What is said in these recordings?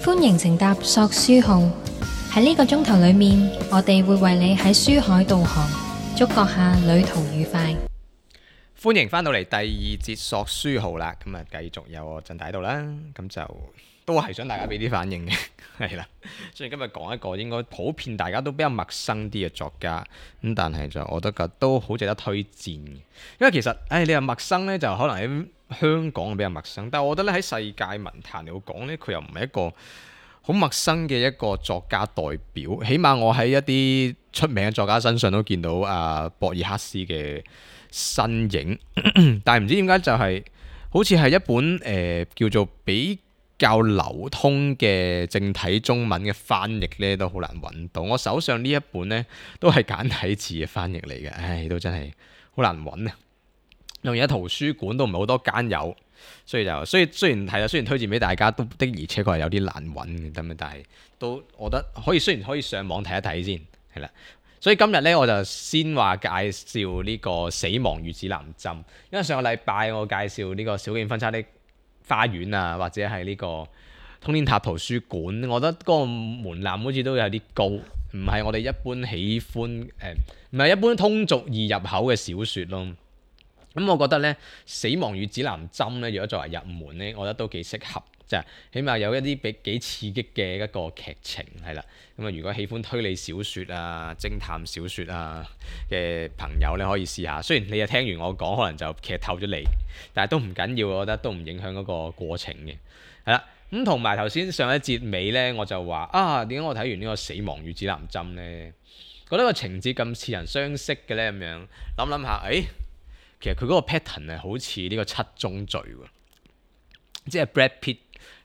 歡迎乘搭索書號，喺呢個鐘頭裏面，我哋會為你喺書海導航，祝閣下旅途愉快。歡迎翻到嚟第二節索書號啦，咁啊繼續有我陣喺度啦，咁就都係想大家俾啲反應嘅，係啦。所以今日講一個應該普遍大家都比較陌生啲嘅作家，咁但係就我覺得都好值得推薦嘅，因為其實你話陌生呢，就可能喺香港比較陌生，但係我覺得咧喺世界文壇嚟講呢，佢又唔係一個好陌生嘅一個作家代表，起碼我喺一啲出名嘅作家身上都見到博爾赫斯嘅身影，但係唔知點解就係好似係一本叫做比較流通嘅正體中文嘅翻譯呢，都好難揾到。我手上呢一本呢，都係簡體字嘅翻譯嚟嘅，都真係好難揾啊！而家圖書館都唔係好多間有，所以雖然推薦俾大家，都的而且確係有啲難揾嘅，但係都我覺得雖然可以上網睇一睇先，係啦。所以今日咧，我就先話介紹呢個《死亡與指南針》，因為上個禮拜我介紹呢個小徑分叉的花園啊，或者係呢個通天塔圖書館，我覺得嗰個門檻好似都有啲高，唔係我哋一般喜歡唔係一般通俗易入口嘅小説咯。咁我覺得咧，《死亡與指南針》咧，如果作為入門咧，我覺得都幾適合。就係起碼有一啲幾刺激嘅一個劇情係啦，咁啊如果喜歡推理小説啊、偵探小説啊嘅朋友咧，可以試下。雖然你又聽完我講，可能就劇透咗你，但係都唔緊要，我覺得都唔影響嗰個過程嘅。係啦，咁同埋頭先上一節尾咧，我就話點解我睇完呢個《死亡與指南針》咧，覺得個情節咁似曾相識嘅咧，咁樣諗下，其實佢嗰個 pattern 係好似呢個七宗罪喎，即係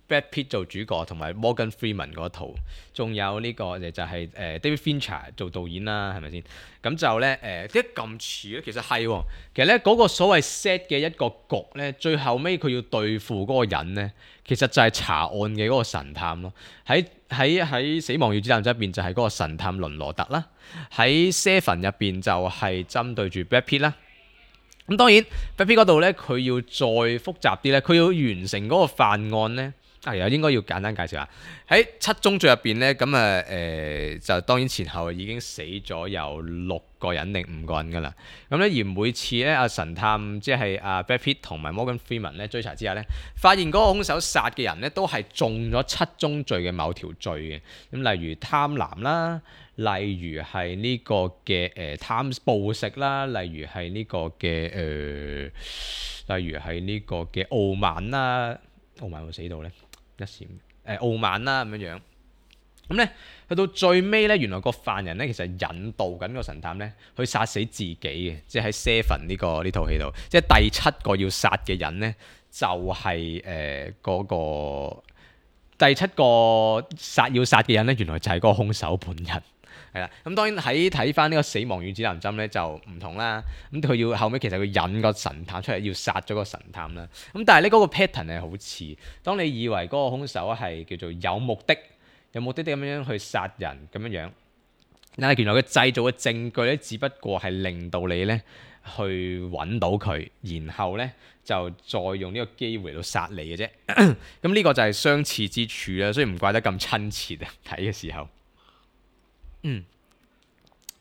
Brad Pitt 做主角，同埋 Morgan Freeman 嗰套，仲有呢個就係David Fincher 做導演啦，係咪先？咁就咧點解咁似咧？其實係喎，其實咧嗰個所謂 set 嘅一個局咧，最後尾佢要對付嗰個人咧，其實就係查案嘅嗰個神探咯。喺死亡與指南針入邊就係嗰個神探倫羅特啦，喺 Seven 入邊就係針對住 Brad Pitt 啦。咁當然 Brad Pitt 嗰度咧，佢要再複雜啲咧，佢要完成嗰個犯案咧。又應該要簡單介紹下喺七宗罪入邊咧，咁就當然前後已經死咗有6個人定5個人噶啦。咁咧而每次咧神探即係Brad Pitt 同埋 Morgan Freeman 咧追查之下咧，發現嗰個兇手殺嘅人咧都係中咗七宗罪嘅某條罪嘅。咁例如貪婪啦，例如係呢個嘅貪暴食啦，例如係呢個嘅傲慢啦，傲慢會死到咧。一閃傲慢啦咁樣，咁咧去到最尾咧，原來個犯人咧其實引導緊個神探咧去殺死自己嘅，即係喺 Seven 呢套戲度，即係第7個要殺嘅人咧就係嗰個第7個要殺嘅人咧，原來就係嗰個兇手本人。係啦，咁當然喺睇翻呢個死亡與指南針咧就唔同啦。咁佢要後尾其實佢引個神探出嚟要殺咗個神探啦。咁但係呢嗰個 pattern 係好似，當你以為嗰個兇手係叫做有目的咁樣去殺人咁樣，但係原來佢製造嘅證據咧，只不過係令到你咧去揾到佢，然後咧就再用呢個機會嚟到殺你嘅啫。咁呢個就係相似之處啦，所以唔怪得咁親切啊！睇嘅時候。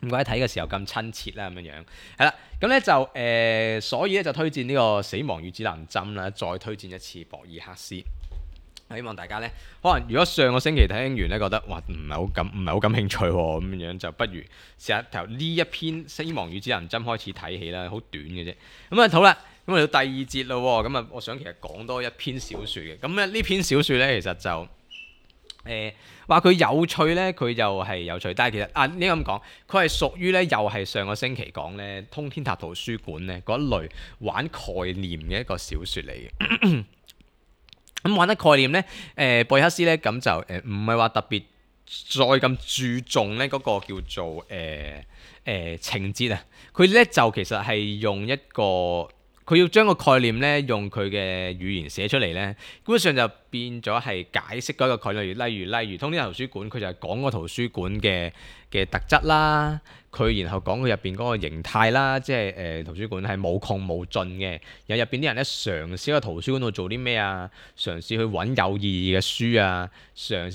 唔怪得睇嘅時候咁親切啦，咁樣係啦，咁咧就所以咧就推薦呢個《死亡與指南針》啦，再推薦一次博爾赫斯。希望大家咧，可能如果上個星期聽完咧，覺得哇唔係好感興趣喎，咁樣就不如試下由呢一篇《死亡與指南針》開始睇起啦，好短嘅啫。咁好啦，咁嚟到第2節咯，咁我想其實講多一篇小説嘅。咁呢篇小説咧，其實就話佢有趣咧，佢就係有趣，但係其實應該咁講，佢係屬於咧，又係上個星期講咧，通天塔圖書館咧嗰一類玩概念嘅一個小説嚟嘅。咁玩得概念咧，博爾赫斯咧咁就唔係話特別再咁注重咧嗰個叫做情節啊，佢咧就其實係用一個佢要將個概念咧用佢嘅語言寫出嚟咧，基本上就變咗係解釋嗰個概念，例如通天圖書館，佢就係講個圖書館嘅特質啦，佢然後講佢入邊嗰個形態啦，即係圖書館係無窮無盡嘅，然後入邊啲人咧嘗試喺個圖書館度做啲咩啊，嘗試去揾有意義嘅書啊，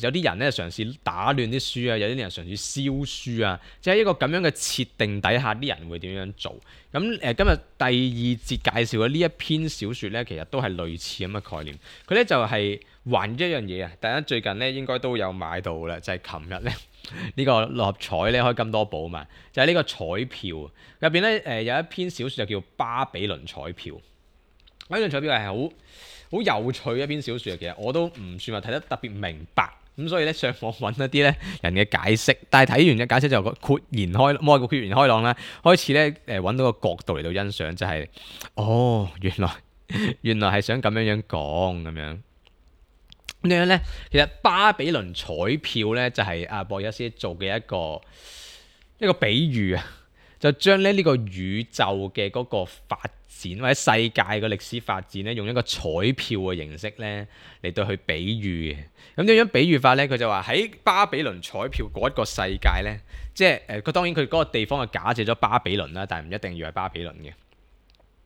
有啲人咧嘗試打亂啲書啊，有啲人嘗試燒書啊，即係一個咁樣嘅設定底下，啲人會點樣做？咁今日第二節介紹嘅呢一篇小説咧，其實都係類似咁嘅概念，佢咧就係還一樣嘢啊！大家最近咧應該都有買到啦，就係琴日咧。呢個六合彩咧開金多寶嘛，就係、是、呢個彩票入邊咧有一篇小説就叫巴比倫彩票。巴比倫彩票係好有趣嘅一篇小説，其實我都唔算話睇得特別明白，咁所以咧上網揾一啲咧人嘅解釋，但係睇完嘅解釋就豁然開朗啦，開始咧揾到個角度嚟到欣賞，就係、哦原來係想咁樣講咁樣。咁樣咧，其實巴比倫彩票咧就係阿博爾斯做嘅一個比喻啊，就將咧呢個宇宙嘅嗰個發展或者世界嘅歷史發展咧，用一個彩票嘅形式咧嚟到去比喻嘅。咁點樣比喻法咧？佢就話喺巴比倫彩票嗰一個世界咧，即係佢當然佢嗰個地方係假借咗巴比倫啦，但係唔一定要係巴比倫嘅。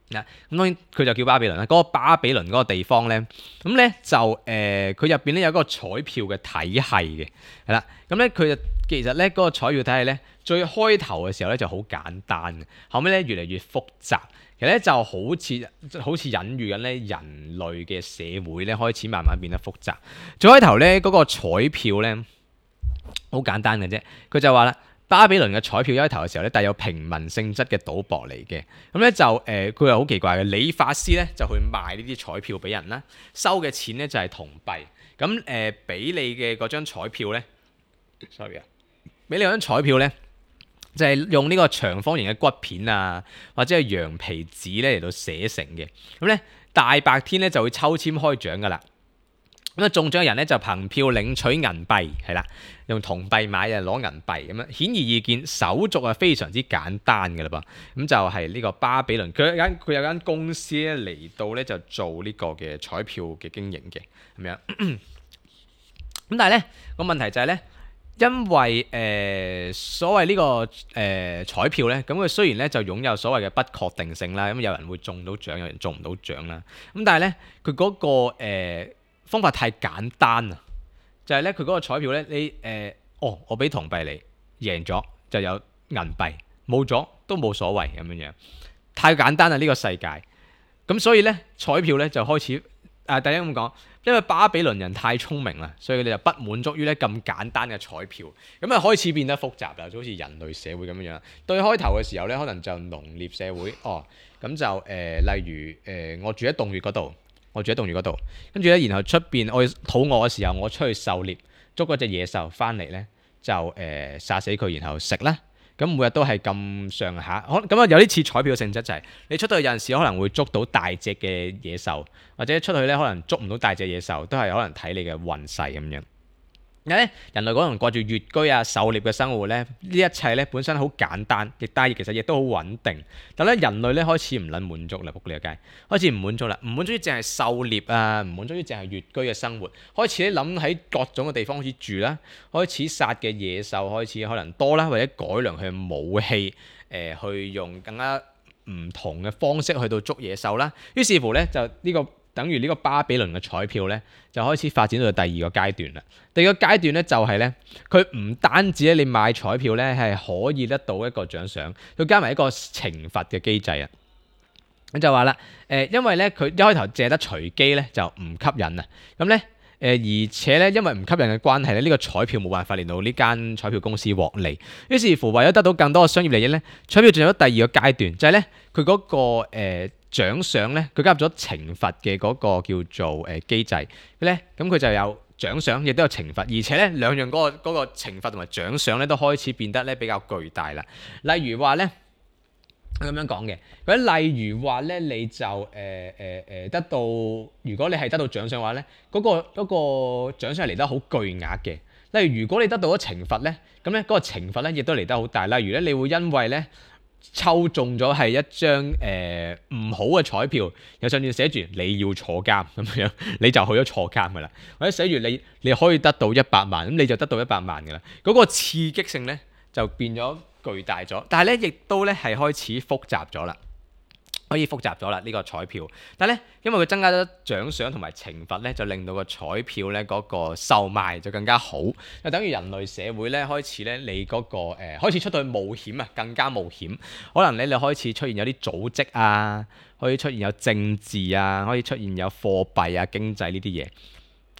咁當然佢就叫巴比倫啦。嗰個巴比倫嗰個地方咧，咁咧就佢入邊咧有嗰個彩票嘅體系嘅，係啦。咁咧佢就其實咧嗰個彩票體系咧，最開頭嘅時候咧就好簡單嘅，後尾咧越嚟越複雜。其實咧就好似隱喻緊咧人類嘅社會咧開始慢慢變得複雜。最開頭咧嗰個彩票咧好簡單嘅啫，佢就話啦。巴比倫嘅彩票一開頭嘅時候咧，帶有平民性質嘅賭博嚟嘅，咁咧就佢又好奇怪嘅，理髮師咧就去賣呢啲彩票俾人啦，收嘅錢咧就係銅幣，咁俾你嘅嗰張彩票咧，sorry 啊，俾你嗰張彩票咧就係用呢個長方形嘅骨片啊，或者係羊皮紙咧嚟到寫成嘅，咁咧大白天咧就會抽籤開獎噶啦。咁啊中獎嘅人咧就憑票領取銀幣，係啦，用銅幣買啊攞銀幣咁樣，顯而易見手續係非常之簡單嘅啦噃。咁就係呢個巴比倫，佢有間公司咧嚟到咧就做呢個嘅彩票嘅經營嘅咁樣。咁但係咧個問題就係咧，因為所謂呢個彩票咧，咁佢雖然咧就擁有所謂嘅不確定性啦，咁有人會中到獎，有人中唔到獎啦。咁但係咧佢嗰個方法太簡單啊！就係咧，佢嗰個彩票咧，你我俾銅幣你，贏咗就有銀幣，冇咗都冇所謂咁樣樣，太簡單啦呢個世界。咁所以咧，彩票咧就開始第一咁講，因為巴比倫人太聰明啦，所以佢哋就不滿足於咧咁簡單嘅彩票，咁啊開始變得複雜啦，就好似人類社會咁樣樣。對開頭嘅時候咧，可能就農業社會，咁就例如我住喺洞穴嗰度。跟住咧，然後出邊我肚餓嘅時候，我出去狩獵，捉嗰隻野獸翻嚟咧，就殺死佢，然後食啦。咁每日都係咁上下，咁啊有啲似彩票嘅性質，就係你出到去有陣時可能會捉到大隻嘅野獸，或者出去咧可能捉唔到大隻野獸，都係可能睇你嘅運勢咁樣。人類可能過住穴居啊、狩獵嘅生活咧，呢一切咧本身好簡單，但係其實亦都好穩定。但係咧人類咧開始唔撚滿足啦，仆你個街，開始唔滿足啦，唔滿足於淨係狩獵啊，唔滿足於淨係穴居嘅生活，開始咧諗喺各種嘅地方開始住啦，開始殺嘅野獸開始可能多啦，或者改良佢嘅武器，去用更加唔同嘅方式去到捉野獸啦。於是乎咧就呢個。等於呢個巴比倫嘅彩票咧，就開始發展到第二個階段啦。第二個階段咧就係咧，佢唔單止咧你買彩票咧係可以得到一個獎賞，佢加埋一個懲罰嘅機制啊。咁就話啦，因為咧佢一開頭借得隨機咧就唔吸引啊。咁咧而且咧因為唔吸引嘅關係咧，呢個彩票冇辦法令到呢間彩票公司獲利。於是乎為咗得到更多嘅商業利益咧，彩票進入咗第二個階段，就係咧佢嗰個獎賞咧，佢加入咗懲罰嘅嗰個叫做機制咧，咁佢就有獎賞，亦都有懲罰，而且咧兩樣嗰個懲罰同埋獎賞咧都開始變得咧比較巨大啦。例如話咧，咁樣講嘅，例如話咧你就得到，如果你係得到獎賞嘅話咧，嗰個獎賞係嚟得好巨額嘅。例如如果你得到咗懲罰咧，咁咧嗰個懲罰咧亦都嚟得好大。例如咧，你會因為咧抽中咗係一張唔好嘅彩票，又上面寫住你要坐監咁樣，你就去咗坐監噶啦。或者寫住你可以得到100萬，咁你就得到100萬噶啦。嗰個刺激性咧就變咗巨大咗，但係咧亦都咧係開始複雜咗啦。可以複雜咗啦呢個彩票，但係咧因為佢增加咗獎賞同埋懲罰咧，就令到個彩票咧嗰個售賣就更加好，就等於人類社會咧開始咧你嗰個開始出到去冒險啊，更加冒險，可能咧你開始出現有啲組織啊，可以出現有政治啊，可以出現有貨幣啊、經濟呢啲嘢。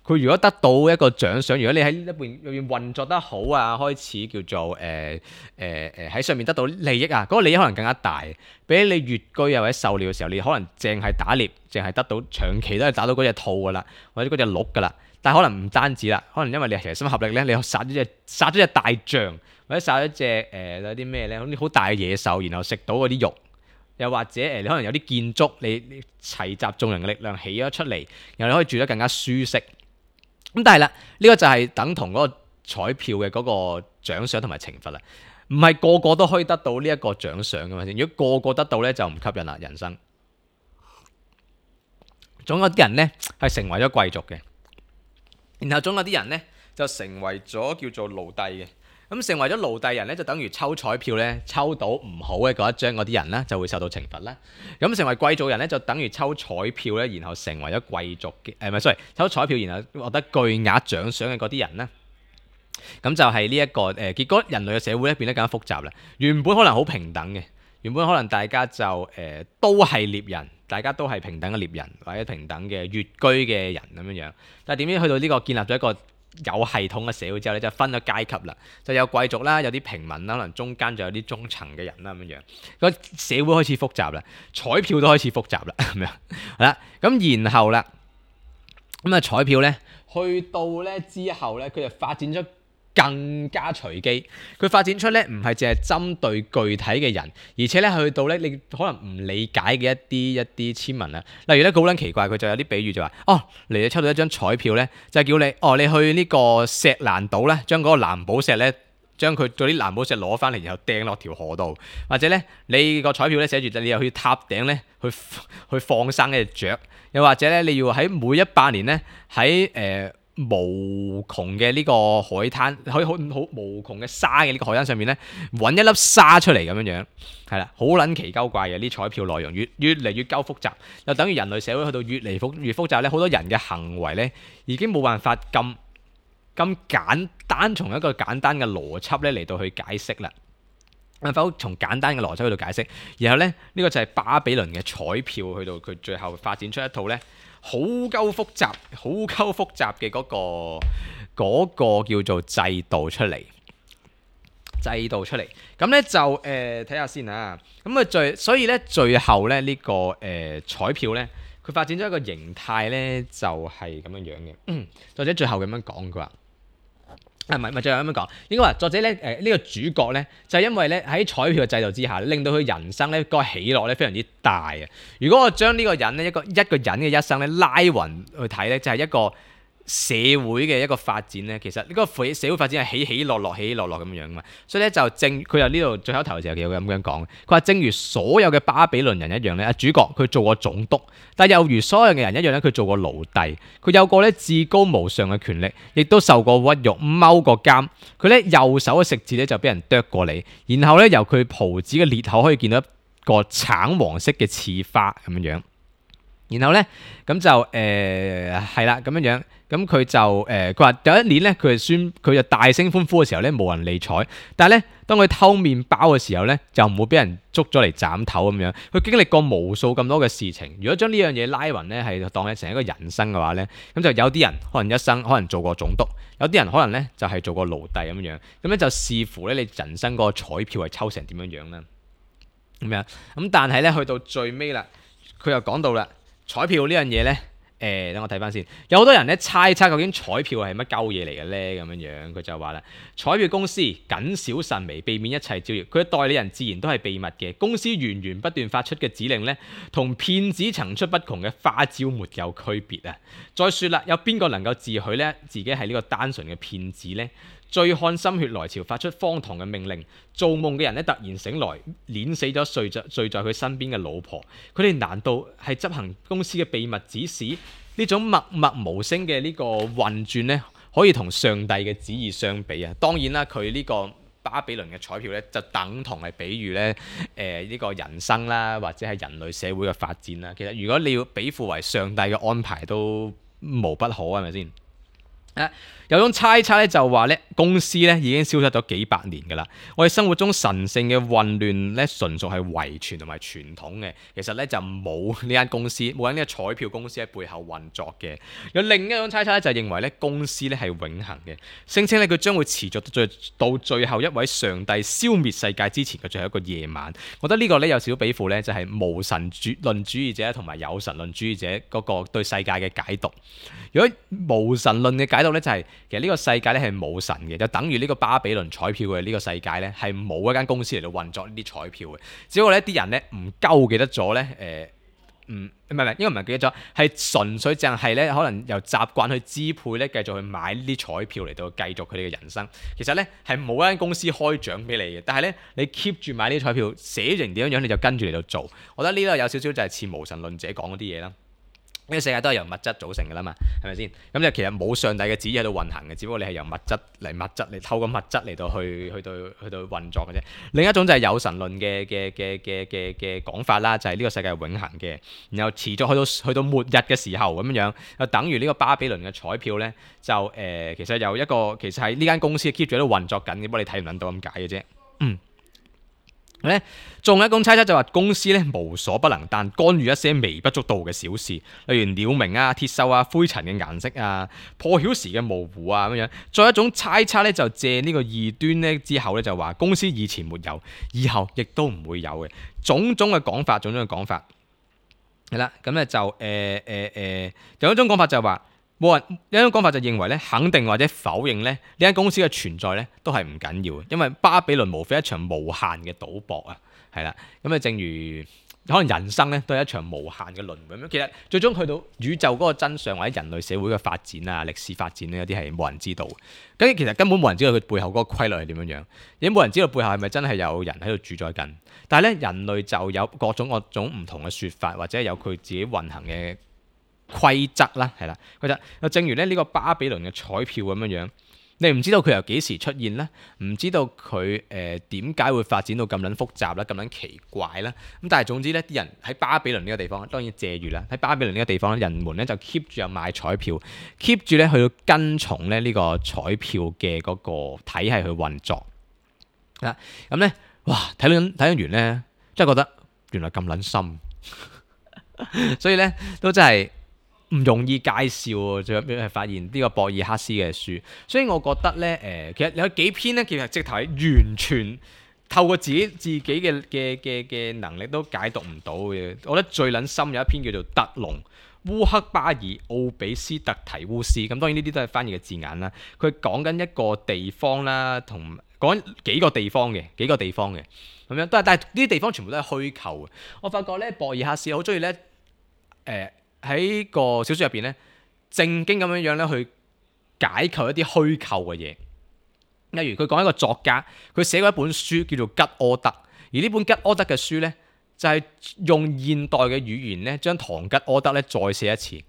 佢如果得到一個獎賞，如果你喺入邊運作得好啊，開始叫做喺上面得到利益啊，嗰個利益可能更加大。比起你越居啊或者狩獵嘅時候，你可能淨係打獵，淨係得到長期都係打到嗰隻兔噶啦，或者嗰隻鹿噶啦。但係可能唔單止啦，可能因為你齊心合力咧，你殺咗隻大象，或者殺咗隻有啲咩咧，好大嘅野獸，然後食到嗰啲肉。又或者你可能有啲建築，你齊集眾人嘅力量起咗出嚟，然後你可以住得更加舒適。咁但係啦，呢個就係等同嗰個彩票嘅嗰個獎賞同埋懲罰啦，唔係個個都可以得到呢一個獎賞噶嘛。如果個個得到咧，就唔吸引啦。人生總有啲人咧係成為咗貴族嘅，然後總有啲人咧就成為咗叫做奴隸嘅。咁成為咗奴隸人咧，就等於抽彩票咧，抽到唔好嘅嗰一張嗰啲人啦，就會受到懲罰啦。咁成為貴族人咧，就等於抽彩票咧，然後成為咗貴族嘅唔係，sorry，抽彩票然後獲得巨額獎賞嘅嗰啲人啦。咁就係呢一個結果人類嘅社會咧變得更加複雜啦。原本可能好平等嘅，原本可能大家就都係獵人，大家都係平等嘅獵人或者平等嘅越居嘅人咁樣樣。但係點知去到呢個建立咗一個有系統嘅社會之後咧，就分咗階級啦，就有貴族啦，有啲平民啦，可能中間就有啲中層嘅人啦咁樣樣。個社會開始複雜啦，彩票都開始複雜啦咁樣。係啦，咁然後啦，咁啊彩票咧，去到咧之後咧，佢就發展出更加隨機。佢發展出咧唔係淨係針對具體嘅人，而且咧去到咧你可能唔理解嘅一啲簽文啊。例如咧好撚奇怪，佢就有啲比喻就話：哦，你抽到一張彩票咧，就係叫你你去呢個石蘭島咧，將嗰個藍寶石咧，將佢嗰啲藍寶石攞翻嚟，然後掟落條河度。或者咧你個彩票咧寫住你又去塔頂咧去放生一隻雀。又或者咧你要喺每100年咧喺無窮嘅呢個海灘，可以好無窮嘅沙嘅呢個海灘上面咧，揾一粒沙出嚟咁樣樣，係啦，好撚奇鳩怪嘅啲彩票內容越嚟越鳩複雜，就等於人類社會去到越嚟越複雜咧，好多人嘅行為咧已經冇辦法咁簡單從一個簡單嘅邏輯咧嚟到去解釋啦。否從簡單嘅邏輯去到解釋，然後咧呢個就係巴比倫嘅彩票去到佢最後發展出一套咧好鳩複雜嘅嗰個叫做制度出嚟。咁咧就睇下先啊。咁啊所以咧最後咧呢個彩票咧，佢發展咗一個形態咧就係咁樣樣嘅。作者最後咁樣講，佢話。唔係最後咁樣講，應該話作者咧呢個主角咧就係因為咧喺彩票嘅制度之下，令到佢人生咧個喜樂咧非常之大啊！如果我將呢個人咧一個人嘅一生咧拉勻去睇咧，就係一個社會嘅一個發展咧，其實呢個社會發展係起起落落咁樣嘛。所以咧就佢又呢度最後一頭嘅時候有咁樣講，佢話正如所有嘅巴比倫人一樣咧，主角佢做過總督，但又如所有嘅人一樣咧，佢做過奴隸，佢有過咧至高無上嘅權力，亦都受過屈辱，踎過監。佢咧右手嘅食指咧就俾人剁過嚟，然後咧由佢袍子嘅裂口可以見到一個橙黃色嘅刺花咁樣樣。然後咧咁就係啦咁樣樣。咁佢就佢話有一年咧，佢就大聲歡呼嘅時候咧，冇人理睬。但係咧，當佢偷麵包嘅時候咧，就唔會俾人捉咗嚟斬頭咁樣。佢經歷過無數咁多嘅事情。如果將呢樣嘢拉勻咧，係當成一個人生嘅話咧，咁就有啲人可能一生可能做過總督，有啲人可能咧就係做過奴隸咁樣。咁咧就視乎咧你人生嗰個彩票係抽成點樣樣啦。咁樣咁，但係咧去到最尾啦，佢又講到啦，彩票呢樣嘢咧。等我睇翻先，有好多人咧猜測究竟彩票係乜鳩嘢嚟嘅咧？咁樣樣佢就話啦，彩票公司謹小慎微，避免一切招搖。佢嘅代理人自然都係秘密嘅。公司源源不斷發出嘅指令咧，同騙子層出不窮嘅花招沒有區別啊！再說啦，有邊個能夠自詡咧自己係呢個單純嘅騙子咧？醉漢心血來潮，發出荒唐嘅命令。做夢嘅人咧突然醒來，碾死咗睡在佢身邊嘅老婆。佢哋難道係執行公司嘅秘密指示？呢種默默無聲嘅呢個運轉咧，可以同上帝嘅旨意相比啊！當然啦，佢呢個巴比倫嘅彩票咧，就等同係比喻咧呢個人生啦，或者係人類社會嘅發展啦。其實如果你要比附為上帝嘅安排，都無不可，係咪先？有種猜測咧，就話咧公司咧已經消失咗幾百年㗎啦。我哋生活中神聖嘅混亂咧，純屬係遺傳同埋傳統嘅。其實咧就冇呢間公司，冇呢個彩票公司喺背後運作嘅。有另一種猜測咧，就認為咧公司咧係永恆嘅，聲稱咧佢將會持續到最後一位上帝消滅世界之前嘅最後一個夜晚。我覺得呢個咧有少少比附咧，就係無神論主義者同埋有神論主義者嗰個對世界嘅解讀。如果無神論嘅解讀咧，就係其實呢個世界咧係冇神嘅，就等於呢個巴比倫彩票嘅呢個世界咧係冇一間公司嚟到運作呢啲彩票嘅。只不過呢啲人咧唔鳩記得咗咧，唔係應該唔係記得咗，係純粹淨係咧可能由習慣去支配咧，繼續去買呢啲彩票嚟到繼續佢哋嘅人生。其實咧係冇一間公司開獎俾你嘅，但係咧你 keep 住買呢啲彩票，寫成點樣你就跟住嚟到做。我覺得呢個有少少就係似無神論者講嗰啲嘢啦。呢個世界都係由物質組成㗎啦嘛，係咪先？咁就其實冇上帝嘅旨意喺度運行嘅，只不過你係由物質嚟透過物質嚟到去運作嘅啫。另一種就係有神論嘅講法啦，就係呢個世界係永恆嘅，然後持續去到末日嘅時候咁樣，就等於呢個巴比倫嘅彩票咧，就其實有一個其實係呢間公司 keep 住喺度運作緊嘅，不過你睇唔撚到咁解嘅啫。仲有一種猜測就話公司咧無所不能，但干預一些微不足道嘅小事，例如鳥鳴啊、鐵鏽啊、灰塵嘅顏色啊、破曉時嘅模糊啊咁樣。再一種猜測咧就借呢個異端咧之後咧就話公司以前沒有，以後亦都唔會有嘅。種種嘅講法係啦。咁咧就有一種講法就係話。有一種講法就認為咧，肯定或者否認咧呢間公司嘅存在咧都係唔緊要嘅，因為巴比倫無非一場無限嘅賭博啊，係啦。咁啊，正如可能人生咧都係一場無限嘅輪迴咁。其實最終去到宇宙嗰個真相或者人類社會嘅發展啊、歷史發展咧，有啲係冇人知道。咁其實根本冇人知道佢背後嗰個規律係點樣，亦冇人知道背後係咪真係有人喺度主宰緊。但係咧，人類就有各種唔同嘅説法，或者有佢自己運行嘅規則啦，係啦，規則又正如咧呢個巴比倫嘅彩票咁樣，你唔知道佢由幾時出現啦，唔知道佢點解會發展到咁撚複雜啦，咁撚奇怪啦。咁但係總之咧，啲人喺巴比倫呢個地方，當然借喻啦，喺巴比倫呢個地方，人們咧就 keep 住有買彩票，keep 住咧去到跟從咧呢個彩票嘅嗰個體系去運作啦。咁咧，哇！睇完咧，真係覺得原來咁撚深，所以咧都真係。唔容易介紹喎，最後係發現呢個博爾克斯嘅書，所以我覺得咧其實有幾篇咧，其實直頭係完全透過自己嘅能力都解讀唔到嘅。我覺得最撚深有一篇叫做《特隆烏克巴爾奧比斯特提烏斯》，咁當然呢啲都係翻譯嘅字眼啦。佢講緊一個地方啦，同講幾個地方嘅咁樣，但係呢啲地方全部都係虛構嘅。我發覺咧，博爾克斯好中意咧喺個小說入邊咧，正經咁樣咧去解構一啲虛構嘅嘢。例如佢講一個作家，佢寫過一本書叫做《吉柯德》，而呢本吉柯德嘅書咧，就係用現代嘅語言咧，將唐吉柯德咧再寫一次。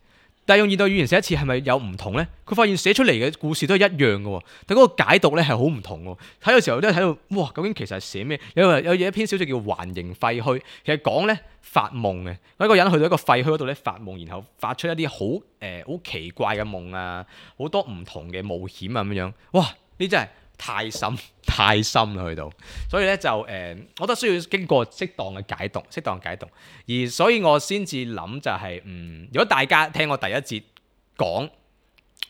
但係用現代語言寫一次係咪有唔同咧？佢發現寫出嚟嘅故事都係一樣嘅喎，但嗰個解讀咧係好唔同喎。睇嘅時候都係睇到，哇！究竟其實係寫咩？有一篇小說叫《環形廢墟》，其實講咧發夢嘅，一個人去到一個廢墟嗰度咧發夢，然後發出一啲好奇怪嘅夢啊，好多唔同嘅冒險啊咁樣。哇！呢真係太深啦去到，所以咧就我覺得需要經過適當嘅解讀，而所以我先至諗就係如果大家聽我第一節講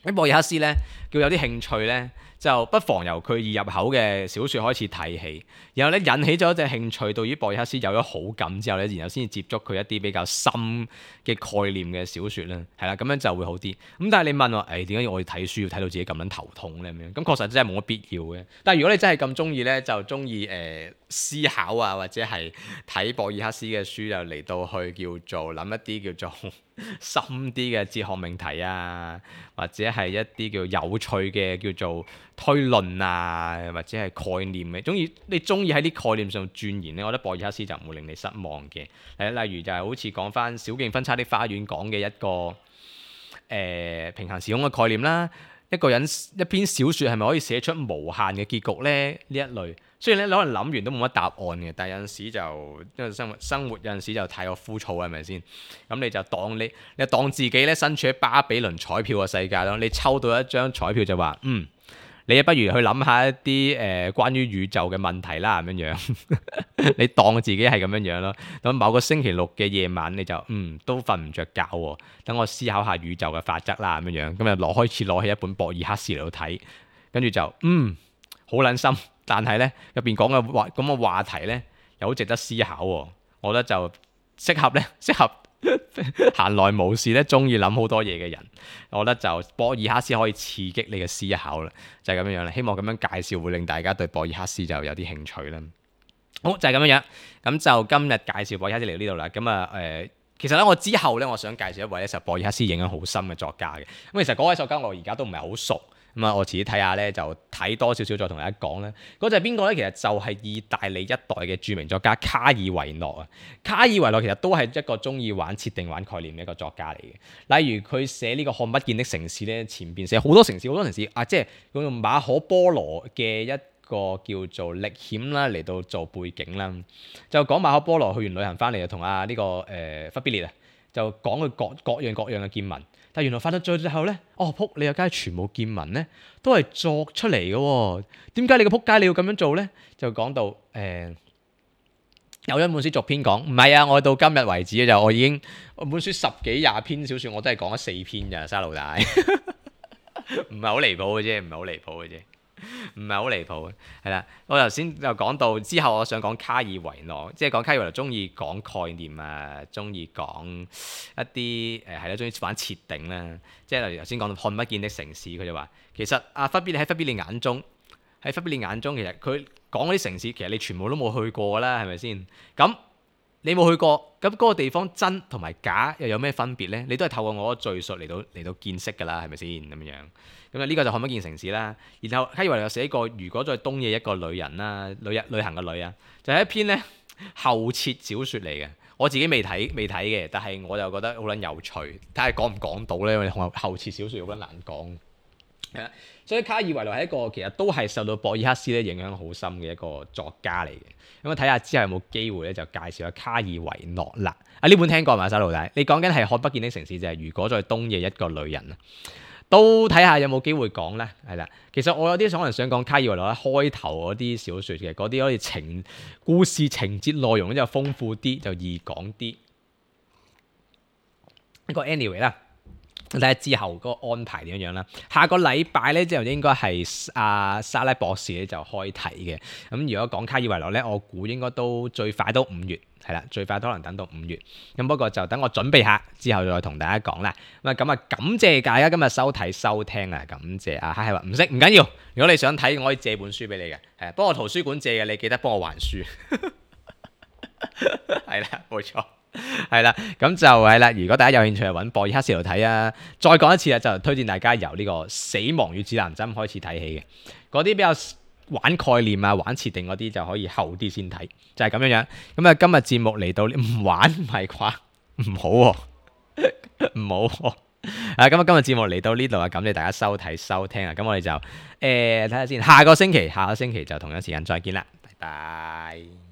喺博爾克斯咧，叫有啲興趣咧，就不妨由佢易入口嘅小説開始睇起，然後咧引起咗一隻興趣，到於博爾克斯有咗好感之後咧，然後先至接觸佢一啲比較深嘅概念嘅小説啦，係啦，咁樣就會好啲。咁但係你問我，點解我要睇書要睇到自己咁樣頭痛咧？咁樣咁確實真係冇乜必要嘅。但係如果你真係咁中意咧，就中意思考啊，或者係睇博爾克斯嘅書，就嚟到去叫做諗一啲叫做深啲嘅哲學命題啊，或者係一啲叫有趣嘅叫做推論啊，或者係概念嘅，你中意喺啲概念上鑽研咧，我覺得博爾克斯就唔會令你失望嘅。例如就係好似講翻小徑分叉的花園講嘅一個平行時空嘅概念啦。一個人一篇小説係咪可以寫出無限嘅結局呢？呢一類雖然咧可能諗完都冇乜答案嘅，但係有陣時就因為生活有陣時就太過枯燥，係咪先？咁你就當自己咧身處喺巴比倫彩票嘅世界咯。你抽到一張彩票就話你不如去諗下一啲關於宇宙嘅問題啦，咁樣樣。你當自己係咁樣樣咯。咁某個星期六嘅夜晚，你就都瞓唔着覺喎。等我思考下宇宙嘅法則啦，咁樣樣。咁就開始攞起一本博爾克斯嚟到睇，跟住就好撚深。但係咧入邊講嘅話題咧又好值得思考喎。我覺得就適合閒來無事咧，中意諗好多嘢嘅人，我覺得就博爾克斯可以刺激你嘅思考啦，就係咁樣樣啦。希望咁樣介紹會令大家對博爾克斯就有啲興趣啦。好，就係咁樣樣，咁就今日介紹博爾克斯嚟到呢度啦。咁其實咧我之後咧，我想介紹一位咧受博爾克斯影響好深嘅作家嘅。咁其實嗰位作家我而家都唔係好熟。我自己睇下咧，就睇多少少再同大家講啦。嗰就係邊個咧？其實就係意大利一代嘅著名作家卡爾維諾啊。卡爾維諾其實都係一個中意玩設定、玩概念嘅一個作家嚟嘅。例如佢寫呢個看不見的城市咧，前邊寫好多城市啊，即係用馬可波羅嘅一個叫做歷險啦嚟到做背景啦。就講馬可波羅去完旅行翻嚟，就同呢個忽必烈啊，就講佢各樣嘅見聞。但原來發到最後咧，仆你個街全部見聞咧，都係作出嚟嘅喎。點解你個仆街你要咁樣做咧？就講到有一本書續篇講，唔係啊，我到今日為止就我本書10幾20篇小説，我都係講咗4篇咋，沙老大，唔係好離譜嘅啫。唔係好離譜嘅，係啦。我頭先就講到之後，我想講卡爾維諾，即係講卡爾維諾中意講概念啊，中意講一啲係啦，中意玩設定啦。即係例如頭先講到看不見的城市，佢就話其實忽必烈喺忽必烈眼中，其實佢講嗰啲城市，其實你全部都冇去過啦，係咪先？咁你冇去過，咁嗰個地方真同埋假又有咩分別呢？你都係透過我嘅敘述嚟到見識㗎啦，係咪先咁樣？咁呢個就看不見城市啦。然後卡爾維諾又寫過如果在東野一個女人啦，旅行嘅女啊，就係一篇咧後設小説嚟嘅。我自己未睇嘅，但係我就覺得好撚有趣。睇下講唔講到咧，因為後設小説好撚難講。係啦，所以卡爾維諾係一個其實都係受到博爾克斯咧影響好深嘅一個作家嚟嘅。咁睇下之後有冇機會咧就介紹下卡爾維諾啦。呢本聽過嘛，沙老大？你講緊係看不見的城市，就係如果在東野一個女人啊。都睇下有冇機會講咧，係啦。其實我有啲可能想講卡爾維諾咧開頭嗰啲小説嘅，嗰啲可以故事情節內容咧就豐富啲，就易講啲。一個 anyway 啦，睇下之後嗰個安排點樣啦。下個禮拜咧之後應該係沙拉博士咧就開題嘅。咁如果講卡爾維諾咧，我估應該都最快都5月。係啦，最快都可能等到5月。咁不過就等我準備下之後再同大家講啦。咁啊，感謝大家今日收睇收聽啊，感謝啊，係話唔識唔緊要。如果你想睇，我可以借本書俾你嘅，係幫我圖書館借嘅，你記得幫我還書。係啦，冇錯，係啦，咁就係啦。如果大家有興趣就揾博爾克斯嚟睇啊。再講一次啊，就推薦大家由呢個《死亡與指南針》開始睇起嘅，嗰啲比較玩概念啊、玩設定嗰啲就可以後啲先睇，就係咁樣樣。咁啊，今日節目嚟到唔玩唔係啩？唔好喎，唔好喎。咁啊，今日節目嚟到呢度啊，感謝大家收睇收聽啊。咁我哋就睇下先，下個星期就同樣時間再見啦，拜拜。